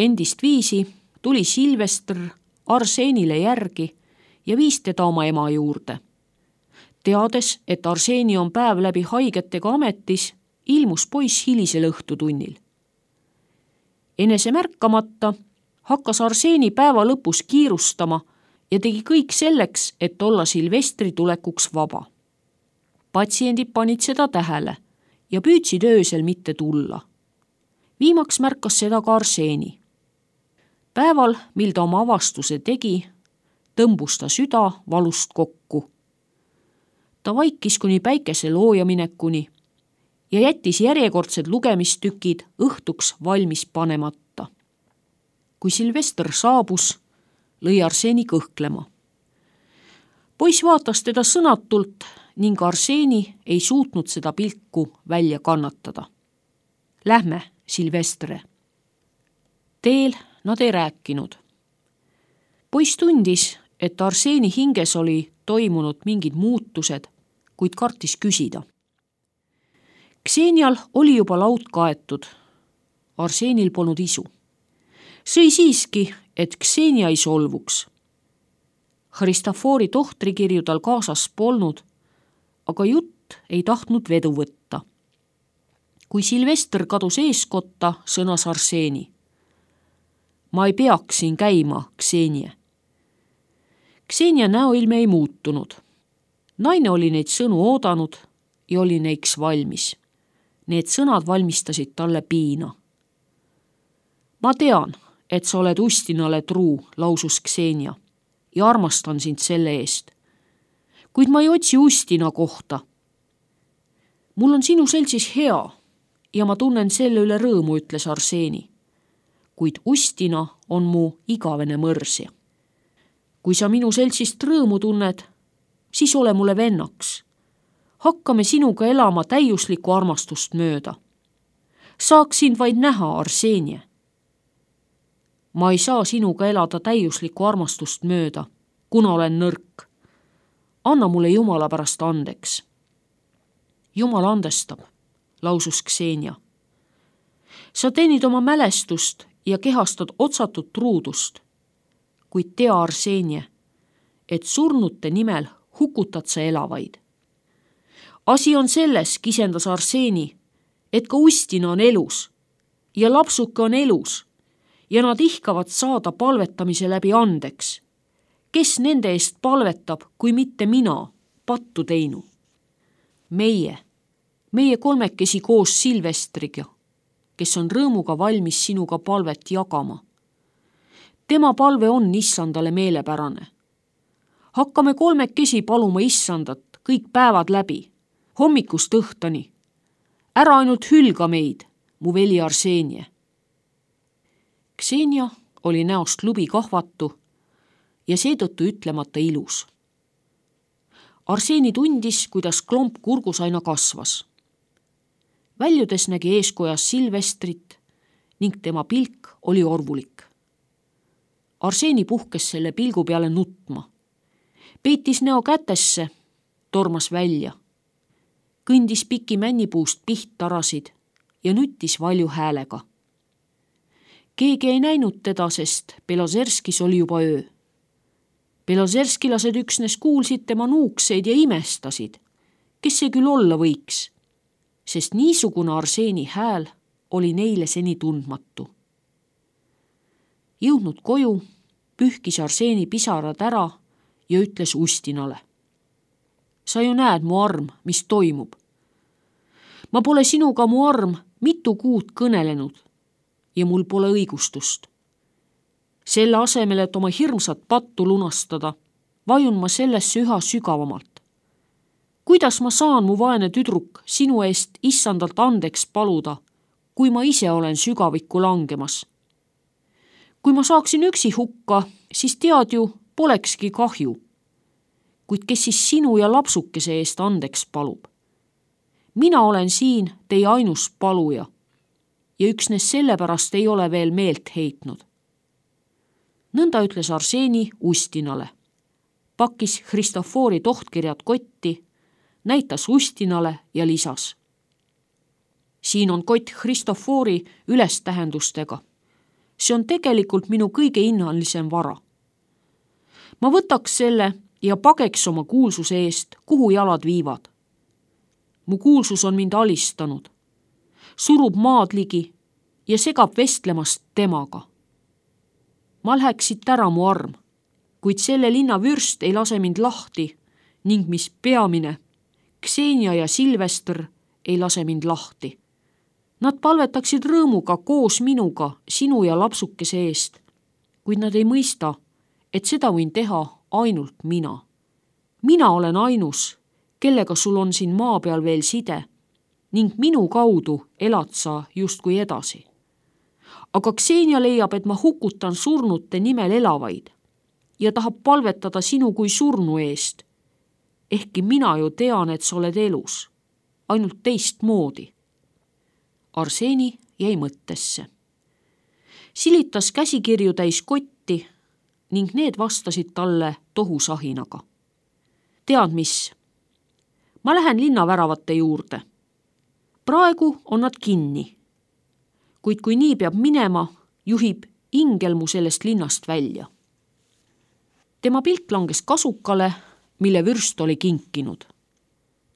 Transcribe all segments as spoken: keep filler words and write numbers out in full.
Endist viisi tuli Silvester Arseenile järgi ja viis teda oma ema juurde. Teades, et Arseeni on päev läbi haigetega ametis, ilmus poiss hilisel õhtutunnil. Enese märkamata hakkas Arseeni päeva lõpus kiirustama ja tegi kõik selleks, et olla Silvestri tulekuks vaba. Patsiendid panid seda tähele ja püüdsid öösel mitte tulla. Viimaks märkas seda ka Arseeni. Päeval, mil ta oma avastuse tegi, tõmbus ta süda valust kokku. Ta vaikis kuni päikese looja minekuni ja jättis järjekordsed lugemistükid õhtuks valmis panemata. Kui Silvester saabus, lõi Arseeni kõhklema. Poiss vaatas teda sõnatult ning Arseeni ei suutnud seda pilku välja kannatada. Lähme, Silvestre. Teel nad ei rääkinud. Poiss tundis, et Arseeni hinges oli toimunud mingid muutused, kuid kartis küsida. Ksenial oli juba laud kaetud. Arseenil polnud isu. Sõi siiski, et Ksenia ei solvuks. Hristofori tohtrikirju tal kaasas polnud, aga jutt ei tahtnud vedu võtta. Kui Silvester kadus eeskotta, sõnas Arseeni. Ma ei peaks siin käima, Ksenia. Ksenia näoilme ei muutunud. Naine oli neid sõnu oodanud ja oli neiks valmis. Need sõnad valmistasid talle piina. Ma tean, et sa oled Ustinale truu, lausus Ksenia, ja armastan sind selle eest. Kuid ma ei otsi Ustina kohta. Mul on sinu seltsis hea ja ma tunnen selle üle rõõmu, ütles Arseeni. Kuid Ustina on mu igavene mõrsja. Kui sa minu seltsist rõõmu tunned, siis ole mulle vennaks. Hakkame sinuga elama täiuslikku armastust mööda. Saaks sind vaid näha, Arseenie. Ma ei saa sinuga elada täiuslikku armastust mööda, kuna olen nõrk. Anna mulle Jumala pärast andeks. Jumal andestab, lausus Ksenia. Sa teenid oma mälestust ja kehastad otsatud truudust, kuid tea, Arseenie, et surnute nimel hukutad sa elavaid. Asi on selles, kisendas Arseeni, et ka Ustina on elus ja lapsuke on elus ja nad ihkavad saada palvetamise läbi andeks. Kes nende eest palvetab, kui mitte mina, pattu teinu? Meie, meie kolmekesi koos Silvestriga, kes on rõõmuga valmis sinuga palvet jagama. Tema palve on issandale meelepärane. Hakkame kolmekesi paluma issandat kõik päevad läbi, hommikust õhtani. Ära ainult hülga meid, mu veli Arseenie. Ksenia oli näost lubi kahvatu ja seetõttu ütlemata ilus. Arseeni tundis, kuidas klomp kurgus aina kasvas. Väljudes nägi eeskojas Silvestrit ning tema pilk oli orvulik. Arseeni puhkes selle pilgu peale nutma. Peitis näo kätesse, tormas välja. Kõndis piki männipuust pihttarasid ja nüttis valju häälega. Keegi ei näinud teda, sest Belozerskis oli juba öö. Belozerskilased üksnes kuulsid tema nuukseid ja imestasid, kes see küll olla võiks, sest niisugune Arseeni hääl oli neile seni tundmatu. Jõudnud koju, pühkis Arseeni pisarad ära ja ütles Ustinale. Sa ju näed, mu arm, mis toimub. Ma pole sinuga, mu arm, mitu kuud kõnelenud ja mul pole õigustust. Selle asemel, et oma hirmsat pattu lunastada, vajun ma sellesse üha sügavamalt. Kuidas ma saan, mu vaene tüdruk, sinu eest issandalt andeks paluda, kui ma ise olen sügavikku langemas? Kui ma saaksin üksi hukka, siis tead ju, polekski kahju. Kuid kes siis sinu ja lapsukese eest andeks palub? Mina olen siin teie ainus paluja ja üksnes sellepärast ei ole veel meelt heitnud. Nõnda ütles Arseeni Ustinale. Pakkis Hristofori tohtkirjad kotti, näitas Ustinale ja lisas. Siin on kott Hristofori ülestähendustega. see on tegelikult minu kõige hinnalisem vara. Ma võtaks selle ja pageks oma kuulsuse eest, kuhu jalad viivad. Mu kuulsus on mind alistanud, surub maad ligi ja segab vestlemast temaga. Ma läheks siit ära mu arm, kuid selle linna vürst ei lase mind lahti ning mis peamine, Ksenia ja Silvester ei lase mind lahti. Nad palvetaksid rõõmuga koos minuga sinu ja lapsukese eest, kuid nad ei mõista, et seda võin teha ainult mina. Mina olen ainus, kellega sul on siin maa peal veel side ning minu kaudu elad sa justkui edasi. Aga Ksenia leiab, et ma hukutan surnute nimel elavaid ja tahab palvetada sinu kui surnu eest. Ehkki mina ju tean, et sa oled elus, ainult teist moodi. Arseni jäi mõttesse. Silitas käsikirju täis kotti ning need vastasid talle tohusahinaga. Tead mis? Ma lähen linnaväravate juurde. Praegu on nad kinni, kuid kui nii peab minema, juhib ingel mu sellest linnast välja. Tema pilt langes kasukale, mille vürst oli kinkinud.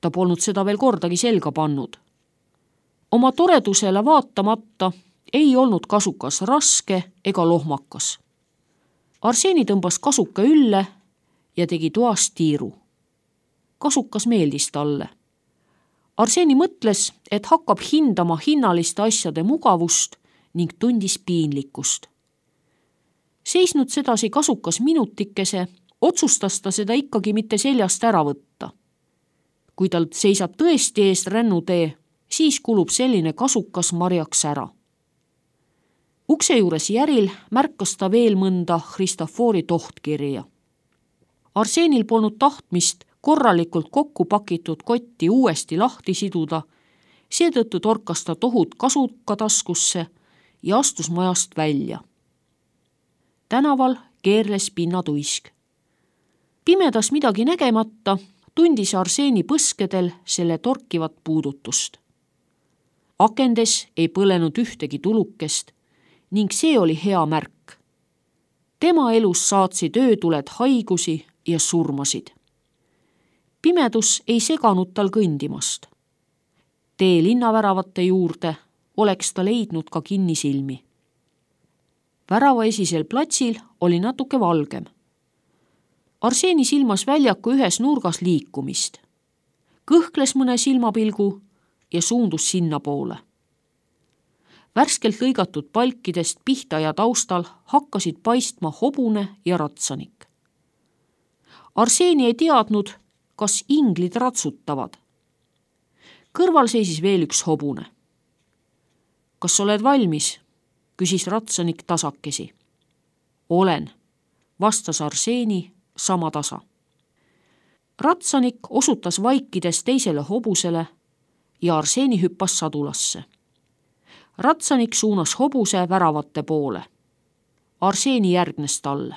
Ta polnud seda veel kordagi selga pannud. Oma toredusele vaatamata ei olnud kasukas raske ega lohmakas. Arseni tõmbas kasuka ülle ja tegi toast tiiru. Kasukas meeldis talle. Arseni mõtles, et hakkab hindama hinnaliste asjade mugavust ning tundis piinlikkust. Seisnud sedasi kasukas minutikese, otsustas ta seda ikkagi mitte seljast ära võtta. Kui tal seisab tõesti eest rännutee, siis kulub selline kasukas marjaks ära. Ukse juures järil märkas ta veel mõnda Christofori tohtkirja. Arsenil polnud tahtmist korralikult kokku pakitud kotti uuesti lahti siduda, seetõttu torkas ta tohut kasuka taskusse ja astus majast välja. Tänaval keerles pinnatuisk. Pimedas midagi nägemata tundis Arseni põskedel selle torkivat puudutust. Akendes ei põlenud ühtegi tulukest ning see oli hea märk. Tema elus saatsid öötuled haigusi ja surmasid. Pimedus ei seganud tal kõndimast. Tee linnaväravate juurde oleks ta leidnud ka kinnisilmi. Värava esisel platsil oli natuke valgem. Arseni silmas väljaku ühes nurgas liikumist. Kõhkles mõne silmapilgu ja suundus sinna poole. Värskelt lõigatud palkidest pihta ja taustal hakkasid paistma hobune ja ratsanik. Arseni ei teadnud, kas inglid ratsutavad. Kõrval seisis veel üks hobune. Kas oled valmis? Küsis ratsanik tasakesi. Olen, vastas Arseni sama tasa. Ratsanik osutas vaikides teisele hobusele ja Arseni hüppas sadulasse. Ratsanik suunas hobuse väravate poole. Arseni järgnes talle.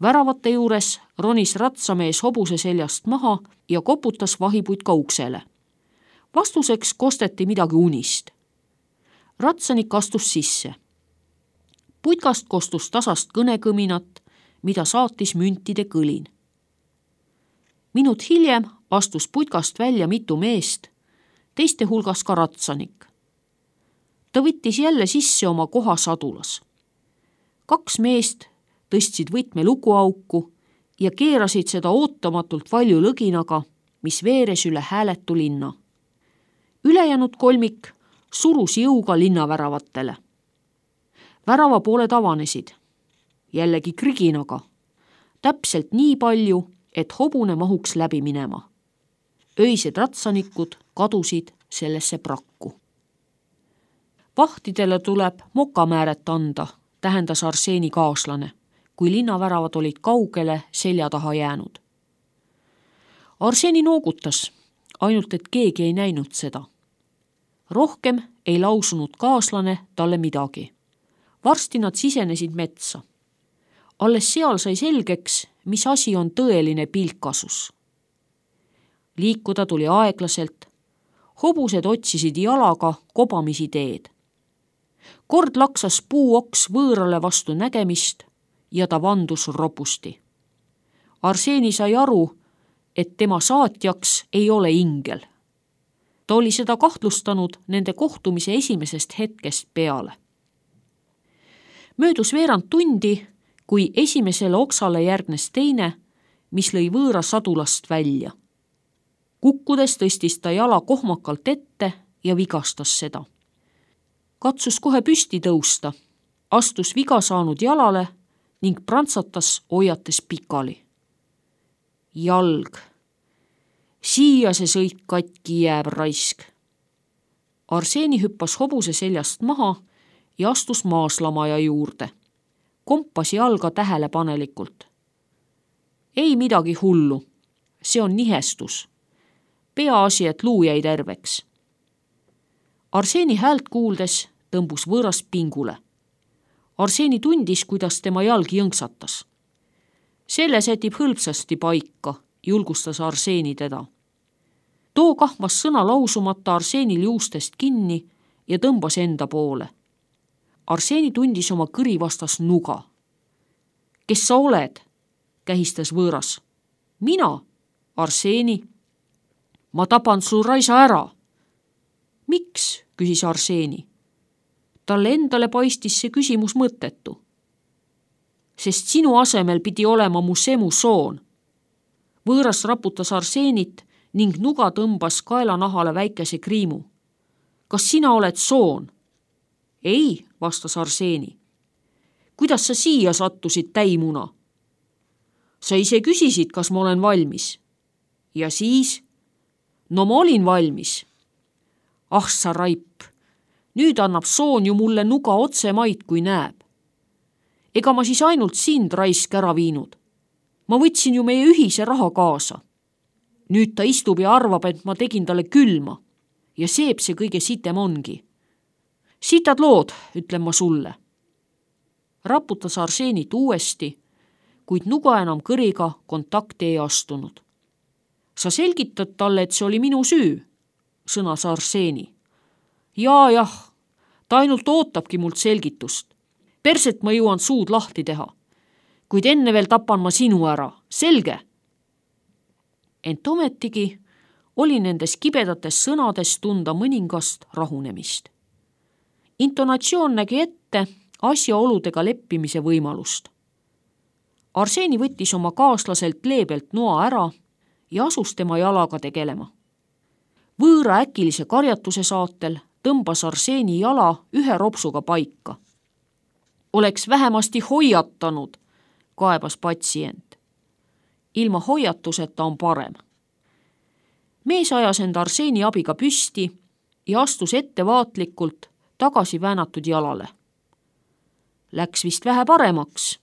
Väravate juures ronis ratsamees hobuse seljast maha ja koputas vahipuid ka uksele. Vastuseks kosteti midagi unist. Ratsanik astus sisse. Putkast kostus tasast kõnekõminat, mida saatis müntide kõlin. Minut hiljem astus putkast välja mitu meest, teiste hulgas ka ratsanik. Ta võttis jälle sisse oma koha sadulas. Kaks meest tõstsid võtme lukuauku ja keerasid seda ootamatult valju lõginaga, mis veeres üle hääletu linna. Ülejäänud kolmik surus jõuga linnaväravatele. Värava pooled avanesid, jällegi kriginaga, täpselt nii palju, et hobune mahuks läbi minema. Öised ratsanikud kadusid sellesse prakku. Vahtidele tuleb mokamääret anda, tähendas Arseni kaaslane, kui linnaväravad olid kaugele selja taha jäänud. Arseni noogutas, ainult et keegi ei näinud seda. Rohkem ei lausunud kaaslane talle midagi. Varsti nad sisenesid metsa. Alles seal sai selgeks, mis asi on tõeline pilkasus. Liikuda tuli aeglaselt. Hobused otsisid jalaga kobamisi teed. kord laksas puuoks võõrale vastu nägemist ja ta vandus ropusti. Arseeni sai aru, et tema saatjaks ei ole ingel. Ta oli seda kahtlustanud nende kohtumise esimesest hetkest peale. Möödus veerand tundi, kui esimesele oksale järgnes teine, mis lõi võõra sadulast välja. Kukkudes tõstis ta jala kohmakalt ette ja vigastas seda. Katsus kohe püsti tõusta, astus viga saanud jalale ning prantsatas hoiates pikali. Jalg. Siia see sõit katki jääb raisk. Arseeni hüppas hobuse seljast maha ja astus maaslamaja juurde. Kompas jalga tähelepanelikult. Ei midagi hullu. See on nihestus. Peaasi, et luu jäi terveks. Arseeni häält kuuldes tõmbus võõras pingule. Arseeni tundis, kuidas tema jalg jõnksatas. Selle sätib hõlpsasti paika, julgustas Arseeni teda. Too kahmas sõna lausumata Arseenil juustest kinni ja tõmbas enda poole. Arseeni tundis oma kõri vastas nuga. Kes sa oled? Kähistas võõras. Mina, Arseeni. Ma tapan su raisa ära. Miks? Küsis Arseeni. Talle endale paistis see küsimus mõttetu. Sest sinu asemel pidi olema mu semu soon. Võõras raputas Arseenit ning nuga tõmbas kaelanahale väikese kriimu. Kas sina oled soon? Ei, vastas Arseeni. Kuidas sa siia sattusid, täimuna? Sa ise küsisid, kas ma olen valmis. Ja siis? No ma olin valmis. Ah sa raip, nüüd annab soon ju mulle nuga otse maid, kui näeb. Ega ma siis ainult sind raisk ära viinud. Ma võtsin ju meie ühise raha kaasa. Nüüd ta istub ja arvab, et ma tegin talle külma. Ja seeb see kõige sitem ongi. Sitad lood, ütlen ma sulle. Raputas Arseenit uuesti, kuid nuga enam kõriga kontakti ei astunud. Sa selgitad talle, et see oli minu süü, sõnas Arseeni. Jaa, jah, ta ainult ootabki mult selgitust. Perset ma jõuan suud lahti teha, kuid enne veel tapan ma sinu ära, selge? Ent ometigi oli nendes kibedates sõnades tunda mõningast rahunemist. Intonatsioon nägi ette asjaoludega leppimise võimalust. Arseeni võttis oma kaaslaselt leebelt noa ära ja asus tema jalaga tegelema. Võõra äkilise karjatuse saatel tõmbas Arseeni jala ühe ropsuga paika. Oleks vähemasti hoiatanud, kaebas patsient. Ilma hoiatuseta on parem. Mees ajas end Arseeni abiga püsti ja astus ettevaatlikult tagasi väänatud jalale. Läks vist vähe paremaks.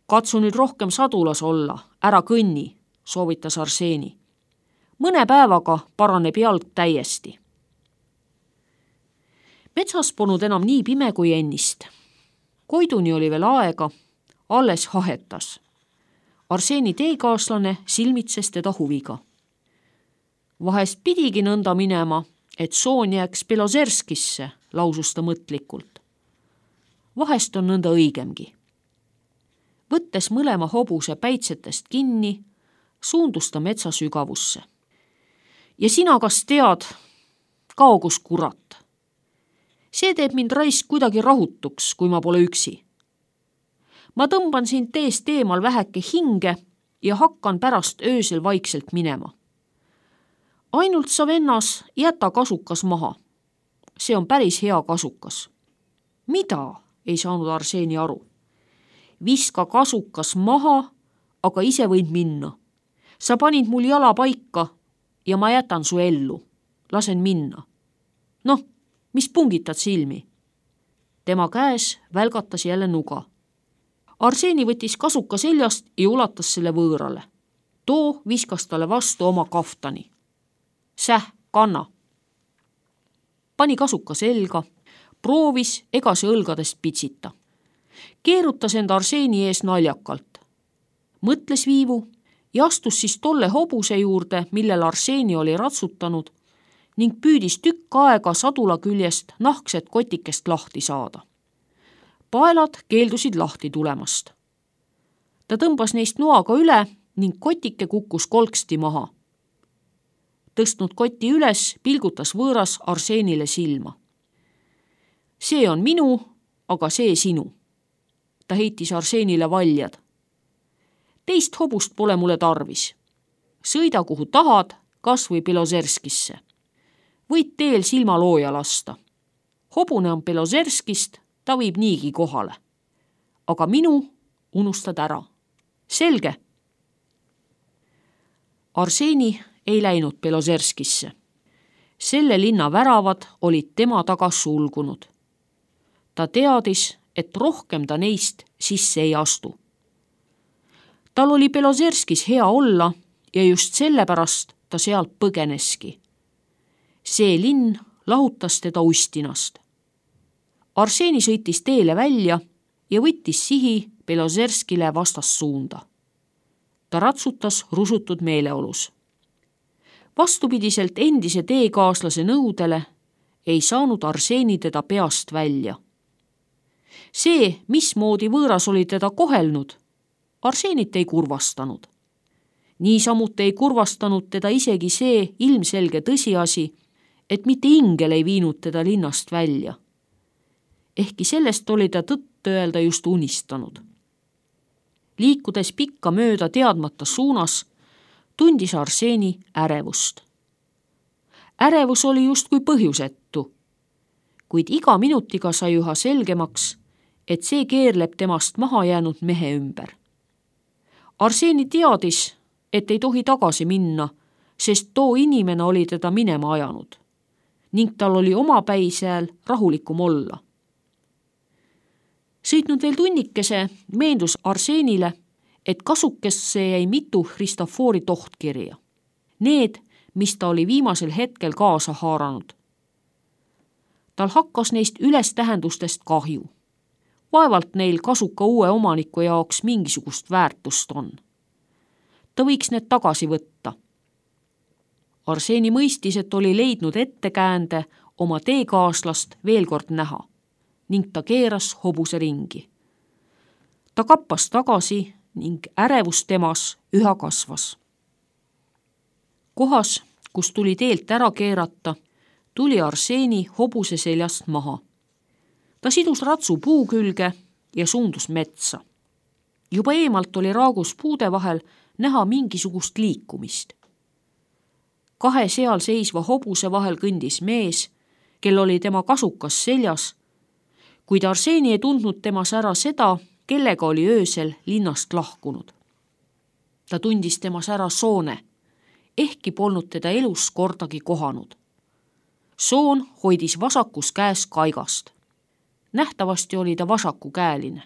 Katsu nüüd rohkem sadulas olla, ära kõnni, soovitas Arseeni. Mõne päevaga paraneb jalg täiesti. Metsas polnud enam nii pime kui ennist. Koiduni oli veel aega, alles hahetas. Arseeni teekaaslane silmitses teda huviga. Vahest pidigi nõnda minema, et soon jääks Belozerskisse, lausus ta mõtlikult. Vahest on nõnda õigemgi. Võttes mõlema hobuse päitsetest kinni, suundus ta metsa sügavusse. Ja sina kas tead, kaugus kurat. See teeb mind raisk kuidagi rahutuks, kui ma pole üksi. Ma tõmban sind teest eemal väheke hinge ja hakkan pärast öösel vaikselt minema. Ainult sa vennas jäta kasukas maha. See on päris hea kasukas. Mida? Ei saanud Arseeni aru. Viska kasukas maha, aga ise võid minna. Sa panid mul jala paika ja ma jätan su ellu. Lasen minna. Noh, mis pungitad silmi? Tema käes välgatas jälle nuga. Arseeni võttis kasuka seljast ja ulatas selle võõrale. Too viskas talle vastu oma kaftani. Säh, kanna. Pani kasuka selga, proovis ega see õlgadest pitsita. Keerutas end Arseeni ees naljakalt. Mõtles viivu ja astus siis tolle hobuse juurde, millel Arseeni oli ratsutanud ning püüdis tükk aega sadula küljest nahkset kotikest lahti saada. Paelad keeldusid lahti tulemast. Ta tõmbas neist noaga üle ning kotike kukkus kolksti maha. Tõstnud koti üles, pilgutas võõras Arseenile silma. See on minu, aga see sinu. Ta heitis Arseenile valjad. Teist hobust pole mulle tarvis. Sõida kuhu tahad, kas või Belozerskisse. Võid teel silmalooja lasta. Hobune on Belozerskist, ta viib niigi kohale. Aga minu unustad ära. Selge. Arseeni ei läinud Belozerskisse. Selle linna väravad olid tema taga sulgunud. Ta teadis, et rohkem ta neist sisse ei astu. Tal oli Belozerskis hea olla ja just sellepärast ta sealt põgeneski. See linn lahutas teda ustinast. Arseeni sõitis teele välja ja võttis sihi Belozerskile vastassuunda. Ta ratsutas rusutud meeleolus. Vastupidiselt endise teekaaslase nõudele ei saanud Arseeni teda peast välja. See, mismoodi võõras oli teda kohelnud, Arseenit ei kurvastanud. Niisamuti ei kurvastanud teda isegi see ilmselge tõsiasi, et mitte ingel ei viinud teda linnast välja. Ehkki sellest oli ta tõtt öelda just unistanud. Liikudes pikka mööda teadmata suunas, tundis Arseeni ärevust. Ärevus oli justkui põhjusettu, kuid iga minutiga sai üha selgemaks, et see keerleb temast maha jäänud mehe ümber. Arseeni teadis, et ei tohi tagasi minna, sest too inimene oli teda minema ajanud ning tal oli oma päisääl rahulikum olla. Sõitnud veel tunnikese, meendus Arseenile, et kasukesse jäi mitu Christofori tohtkirja. Need, mis ta oli viimasel hetkel kaasa haaranud. Tal hakkas neist üles tähendustest kahju. Vaevalt neil kasuka uue omaniku jaoks mingisugust väärtust on. Ta võiks need tagasi võtta. Arseeni mõistis, et oli leidnud ettekäände oma teekaaslast veel kord näha ning ta keeras hobuse ringi. Ta kappas tagasi ning ärevus temas üha kasvas. Kohas, kus tuli teelt ära keerata, tuli Arseeni hobuse seljast maha. Ta sidus ratsu puu külge ja suundus metsa. Juba eemalt oli raagus puude vahel näha mingisugust liikumist. Kahe seal seisva hobuse vahel kõndis mees, kel oli tema kasukas seljas, kuid Arseeni ei tundnud temas ära seda, kellega oli öösel linnast lahkunud. Ta tundis temas ära Soone, ehkki polnud teda elus kordagi kohanud. Soon hoidis vasakus käes kaigast. Nähtavasti oli ta vasakukäeline.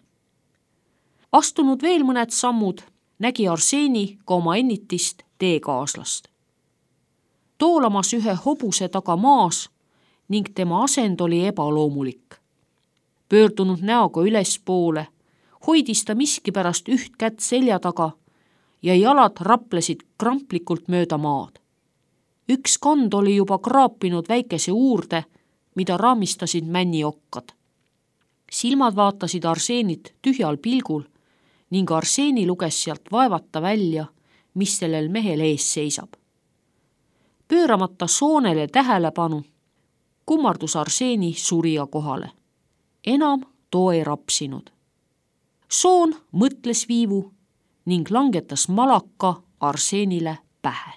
Astunud veel mõned sammud, nägi Arseeni ka oma ennitist teekaaslast. Toolamas ühe hobuse taga maas ning tema asend oli ebaloomulik. Pöördunud näoga ülespoole, hoidis ta miskipärast üht kätt selja taga ja jalad raplesid kramplikult mööda maad. Üks kand oli juba kraapinud väikese uurde, mida raamistasid männiokkad. Silmad vaatasid Arseenit tühjal pilgul ning Arseeni luges sealt vaevata välja, mis sellel mehel ees seisab. Pööramata Soonele tähelepanu, kummardus Arseeni surija kohale. Enam too ei rapsinud. Soon mõtles viivu ning langetas malaka Arseenile pähe.